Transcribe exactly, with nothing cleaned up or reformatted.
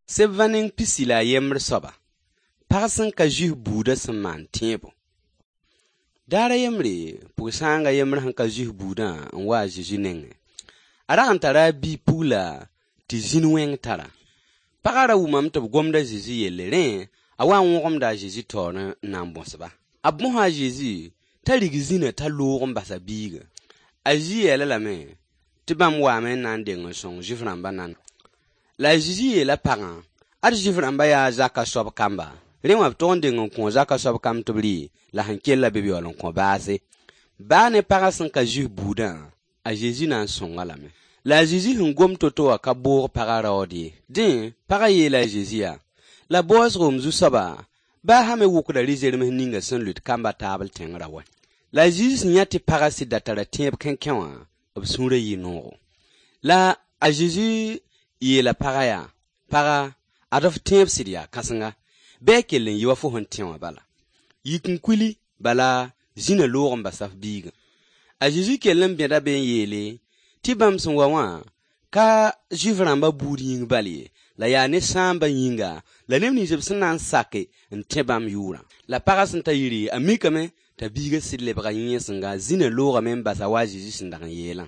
Sebã neng pisi la a yembr soaba, pag sẽn ka zuis buudã sẽn maan tẽebo. Daar a yembre, pʋg-sãang a yembr sẽn ka zuis buudã n wa a Zezi nengẽ. A rag n tara a bi-pugla tɩ zĩn wẽng tar-a. Pagã ra wʋmame tɩ b gomd a Zezi yelle, rẽ a wa n wõgemda a Zezi taoor n na n bõs-ba. A bõsa a Zezi t'a rig zĩnã t'a loog n bas a biigã. A Zezi yeel-a lame tɩ bãmb waame n na n deng n sõng Zuif-rãmbã nan. La a Zezi yeela pagã: Ad Zuif-rãmbã yaa zaka soab kamba, rẽ wã b tog n deng n kõo zaka soab kamb tɩ b rɩ, la sẽn kellã bɩ b yaool n kõ baase. Baa ne pagã sẽn ka zuis buudã, a Zezi na n sõng-a lame. La a Zezi sẽn gom to-to wã ka boog pagã raood ye. Dẽ, pagã yeela a Zezi yaa: La baoosgo, m zu-soaba, baa sã me wʋkda rɩ-zerms ninga sẽn lʋɩt kamba taabl tẽng ra wɛ. La a Zezi sẽn yã tɩ pagã sɩd da tara tẽeb kẽnkẽ wã, b sũurã yɩ noogo. La a Zezi yeela pagã yaa: Paga, ad f tẽeb sɩd yaa kãsenga, bɩ a kell n yɩ wa fo sẽn tẽ wã bala. Yik n kuili, bala zĩna loog n basa f biigã. A Zezi kell n bẽda be n yeele tɩ bãmb sẽn wa wã ka Zuif-rãmba buud yĩng bal ye, la yaa ne sãambã yĩnga la neb nins b sẽn na n sake n tẽ bãmb yʋʋrã. La pagã sẽn ta yiri, a mikame t'a biigã sɩd lebga yẽesengã, zĩna loogame n basa wa a Zezi sẽn dag n yeelã.